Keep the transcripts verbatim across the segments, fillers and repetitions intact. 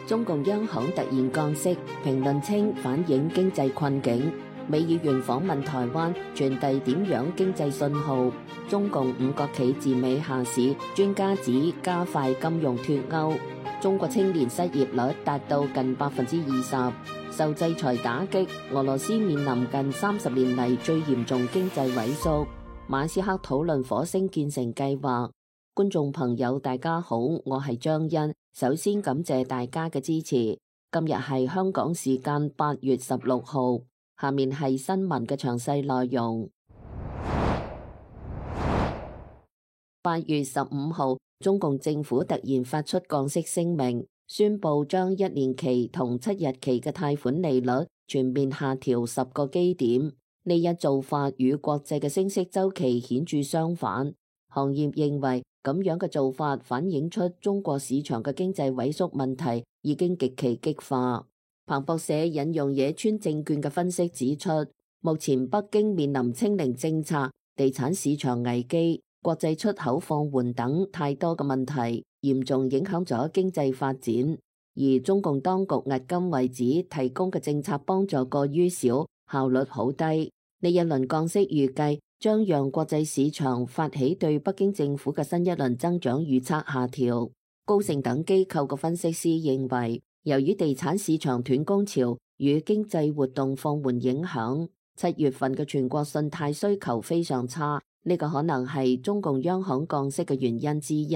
中共央行突然降息，評論稱反映經濟困境。美議員訪問台灣，傳遞點樣經濟信號？中共五國企自美下市，專家指加快金融脫鈎。中國青年失業率達到近百分之二十，受制裁打擊，俄羅斯面臨近三十年嚟最嚴重經濟萎縮。馬斯克討論火星建成計劃。觀眾朋友大家好，我係張欣，首先感謝大家嘅支持。今日係香港時間八月十六號，下面係新聞嘅詳細內容。八月十五號，中共政府突然發出降息聲明，宣布將一年期同七日期嘅貸款利率全面下調十個基點。呢一做法與國際嘅升息週期顯著相反。行業認為咁樣嘅做法反映出中國市場嘅經濟萎縮問題已經極其激化。彭博社引用野村證券嘅分析指出，目前北京面臨清零政策、地產市場危機、國際出口放緩等太多嘅問題，嚴重影響咗經濟發展。而中共當局迄今為止提供嘅政策幫助過於少，效率好低。呢一輪降息預計將讓國際市場發起對北京政府嘅新一輪增長預測下調。高盛等機構嘅分析師認為，由於地產市場斷供潮與經濟活動放緩影響，七月份嘅全國信貸需求非常差，呢個可能係中共央行降息嘅原因之一。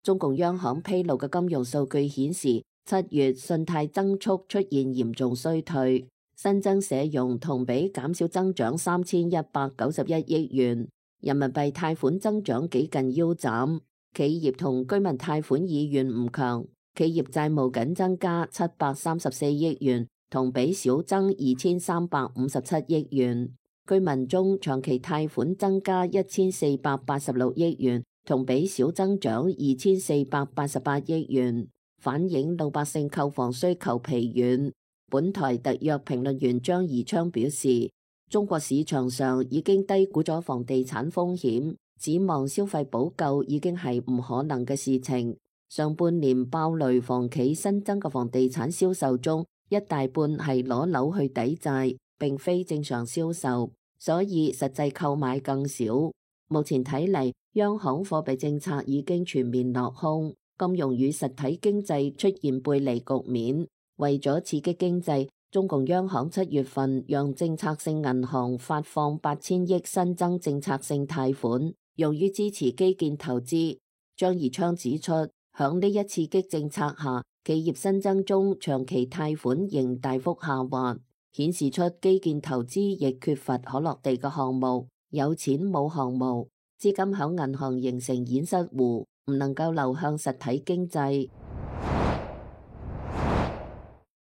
中共央行披露嘅金融數據顯示，七月信貸增速出現嚴重衰退。新增社融同比減少增長三千一百九十一億元，人民幣貸款增長幾近腰斬，企業同居民貸款意願唔強，企業債務僅增加七百三十四億元，同比少增二千三百五十七億元，居民中長期貸款增加一千四百八十六億元，同比少增長二千四百八十八億元，反映老百姓購房需求疲軟。本台特約評論員張宜昌表示，中國市場上已經低估咗房地產風險，指望消費補救已經係唔可能嘅事情。上半年爆雷房企新增嘅房地產銷售中，一大半係攞樓去抵債，並非正常銷售，所以實際購買更少。目前睇嚟，央行貨幣政策已經全面落空，金融與實體經濟出現背離局面。為咗刺激經濟，中共央行七月份讓政策性銀行發放八千億新增政策性貸款，用於支持基建投資。張宜昌指出，響呢一刺激政策下，企業新增中長期貸款仍大幅下滑，顯示出基建投資亦缺乏可落地嘅項目，有錢冇項目，資金響銀行形成堰塞湖，唔能夠流向實體經濟。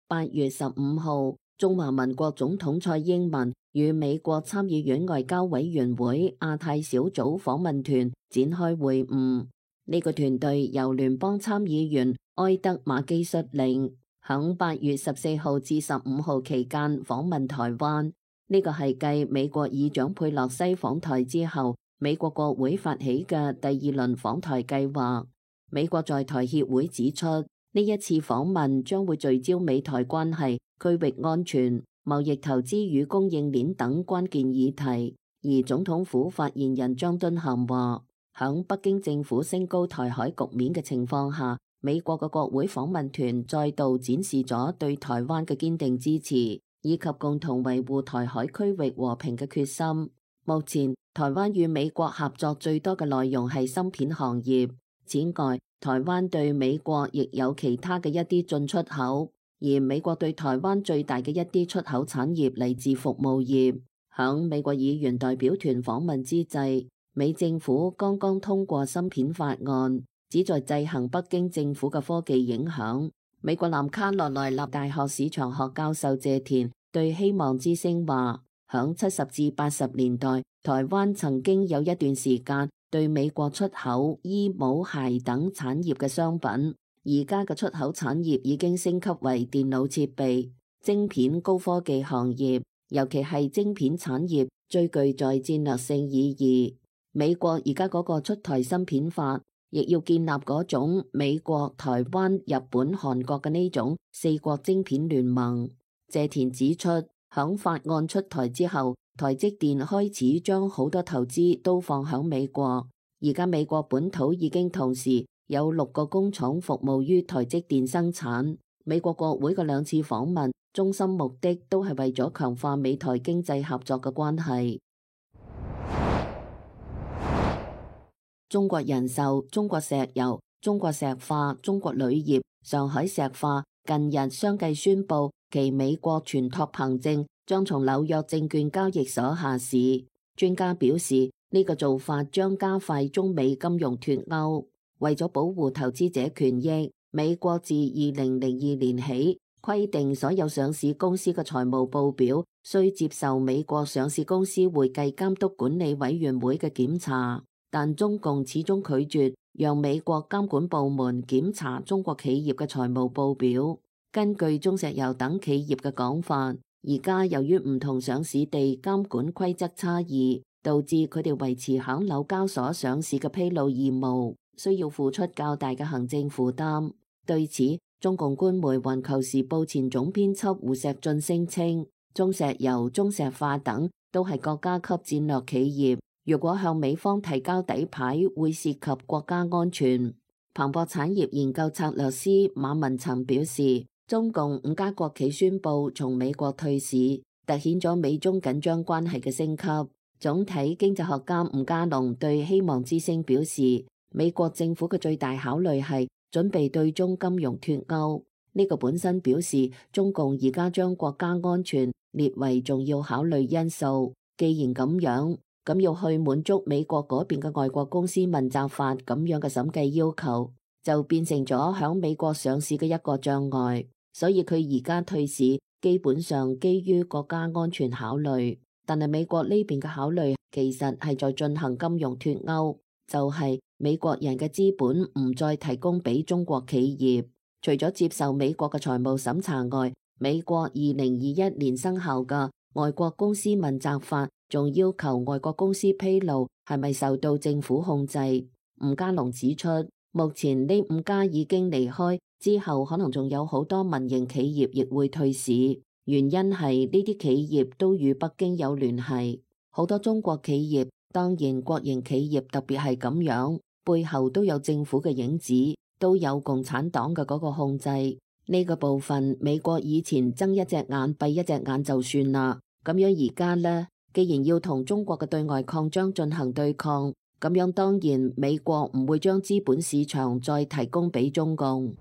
八月十五號，中華民國總統蔡英文與美國參議院外交委員會亞太小組訪問團展開會晤。呢、這個團隊由聯邦參議員埃德馬基率領，響八月十四號至十五號期間訪問台灣。呢、這個係繼美國議長佩洛西訪台之後，美國國會發起嘅第二輪訪台計劃。美國在台協會指出，呢一次訪問將會聚焦美台關係、區域安全、貿易投資與供應鏈等關鍵議題。而總統府發言人張敦涵話，響北京政府升高台海局面嘅情況下，美國嘅國會訪問團再度展示咗對台灣嘅堅定支持，以及共同維護台海區域和平嘅決心。目前，台灣與美國合作最多嘅內容係芯片行業。此外，台灣對美國亦有其他嘅一啲進出口，而美國對台灣最大嘅一啲出口產業嚟自服務業。響美國議員代表團訪問之際，美政府剛剛通過芯片法案，旨在制衡北京政府嘅科技影響。美國南卡羅來納大學市場學教授謝田對希望之聲話，響七十至八十年代，台灣曾經有一段時間對美國出口衣帽鞋等產業嘅商品，而家嘅出口產業已經升級為電腦設備、晶片、高科技行業，尤其係晶片產業最具在戰略性意義。美國而家嗰個出台芯片法，亦要建立嗰種美國、台灣、日本、韓國嘅呢種四國晶片聯盟。謝田指出，響法案出台之後，台積電開始將好多投資都放響美國。而家美國本土已經同時有六個工廠服務於台積電生產。美國國會嘅兩次訪問，中心目的都係為咗強化美台經濟合作嘅關係。中國人壽、中國石油、中國石化、中國鋁業、上海石化近日相繼宣布其美國全託憑證將從紐約證券交易所下市。專家表示，呢個做法將加快中美金融脫鈎。為咗保護投資者權益，美國自二零零二年起規定所有上市公司嘅財務報表需接受美國上市公司會計監督管理委員會嘅檢查。但中共始終拒絕讓美國監管部門檢查中國企業嘅財務報表。根據中石油等企業嘅講法，而家由於唔同上市地監管規則差異，導致佢哋維持響紐交所上市嘅披露義務，需要付出較大嘅行政負擔。對此，中共官媒《環球時報》前總編輯胡錫進聲稱，中石油、中石化等都係國家級戰略企業。如果向美方提交底牌，會涉及國家安全。彭博產業研究策略師馬文曾表示，中共五家國企宣布從美國退市，凸顯咗美中緊張關係嘅升級。總體經濟學家吳家龍對希望之聲表示，美國政府嘅最大考慮係準備對中金融脫鈎。呢個本身表示中共而家將國家安全列為重要考慮因素。既然咁樣，咁要去滿足美國嗰邊嘅外國公司問責法咁樣嘅審計要求，就變成咗響美國上市嘅一個障礙。所以佢而家退市，基本上基於國家安全考慮。但係美國呢邊嘅考慮其實係在進行金融脫鈎，就係、是、美國人嘅資本唔再提供俾中國企業。除咗接受美國嘅財務審查外，美國二零二一年生效嘅外國公司問責法仲要求外國公司披露係咪受到政府控制。吳家龍指出，目前呢五家已經離開，之後可能仲有好多民營企業亦會退市，原因係呢啲企業都與北京有聯繫。好多中國企業，當然國營企業特別係咁樣，背後都有政府嘅影子，都有共產黨嘅嗰個控制。呢個部分美國以前睜一隻眼閉一隻眼就算啦，咁樣而家呢？既然要同中國嘅對外擴張進行對抗，咁樣當然美國唔會將資本市場再提供俾中共。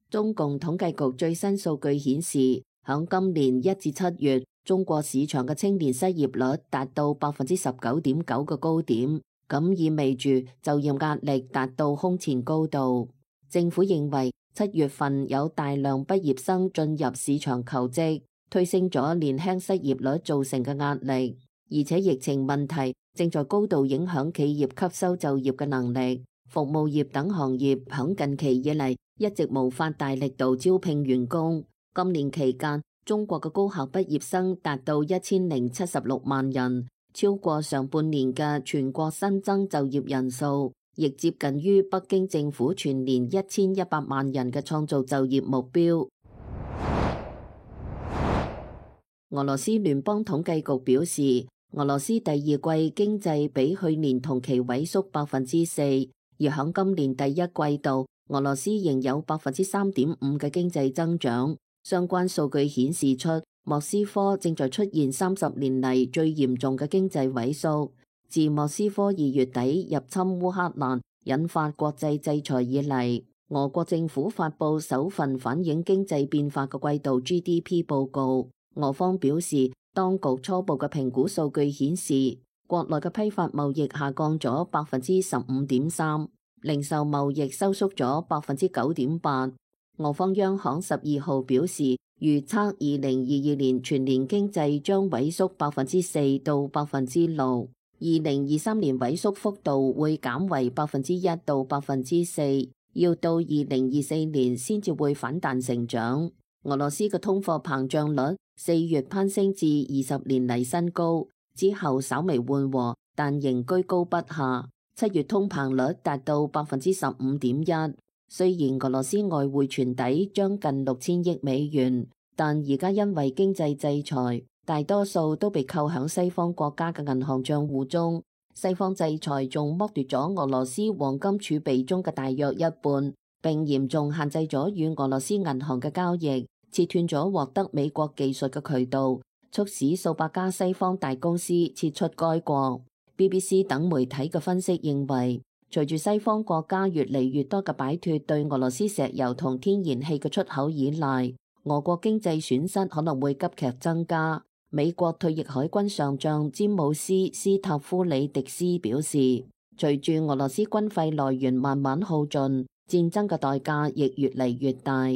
中共統計局最新數據顯示，響今年一至七月，中國市場嘅青年失業率達到百分之十九點九嘅高點，咁意味住就業壓力達到空前高度。政府認為七月份有大量畢業生進入市場求職，推升咗年輕失業率造成嘅壓力，而且疫情問題正在高度影響企業吸收就業嘅能力。服務業等行業響近期以嚟一直無法大力度招聘員工。今年期間，中國嘅高校畢業生達到一千零七十六萬人，超過上半年嘅全國新增就業人數，亦接近於北京政府全年一千一百萬人嘅創造就業目標。俄羅斯聯邦統計局表示，俄羅斯第二季經濟比去年同期萎縮百分之四，而響今年第一季度，俄羅斯仍有百分之三點五嘅經濟增長。相關數據顯示出，莫斯科正在出現三十年嚟最嚴重嘅經濟萎縮。自莫斯科二月底入侵烏克蘭，引發國際制裁以嚟，俄國政府發佈首份反映經濟變化嘅季度 G D P 報告。俄方表示，當局初步嘅評估數據顯示，國內嘅批發貿易下降咗百分之十五點三，零售貿易收縮咗百分之九點八。俄方央行十二號表示，預測二零二二年全年經濟將萎縮百分之四到百分之六，二零二三年萎縮幅度會減為百分之一到百分之四，要到二零二四年先至會反彈成長。俄羅斯嘅通貨膨脹率四月攀升至二十年嚟新高，之後稍微緩和，但仍居高不下。七月通膨率達到百分之十五點一。雖然俄羅斯外匯存底將近六千億美元，但而家因為經濟制裁，大多數都被扣響西方國家嘅銀行賬戶中。西方制裁仲剝奪咗俄羅斯黃金儲備中嘅大約一半，並嚴重限制咗與俄羅斯銀行嘅交易，切斷咗獲得美國技術嘅渠道，促使數百家西方大公司撤出該國。B B C 等媒體嘅分析認為，隨住西方國家越嚟越多嘅擺脫對俄羅斯石油同天然氣嘅出口依賴，俄國經濟損失可能會急劇增加。美國退役海軍上將詹姆斯·斯塔夫里迪斯表示，隨住俄羅斯軍費來源慢慢耗盡，戰爭嘅代價亦越嚟越大。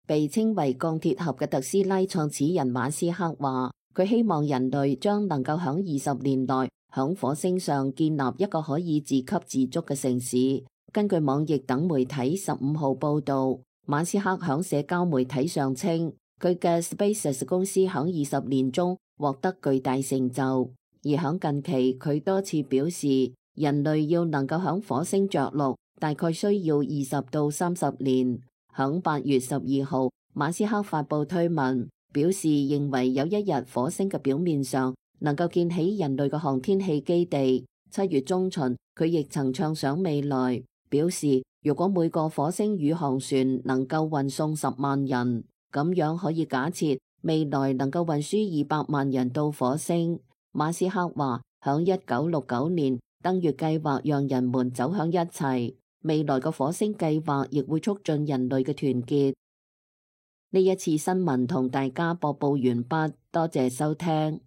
被稱為鋼鐵俠嘅特斯拉創始人馬斯克話，佢希望人類將能夠響二十年內響火星上建立一個可以自給自足嘅城市。根據網易等媒體十五號報道，馬斯克響社交媒體上稱，佢嘅 SpaceX 公司響二十年中獲得巨大成就。而響近期，佢多次表示，人類要能夠響火星着陸，大概需要二十到三十年。響八月十二號，馬斯克發布推文，表示認為有一日火星嘅表面上能夠建起人類嘅航天器基地。七月中旬，佢亦曾暢想未來，表示如果每個火星宇航船能夠運送十萬人，咁樣可以假設未來能夠運輸二百萬人到火星。馬斯克話，響一九六九年，登月計劃讓人們走向一齊，未來嘅火星計劃亦會促進人類嘅團結。呢一次新聞同大家播報完畢，多謝收聽。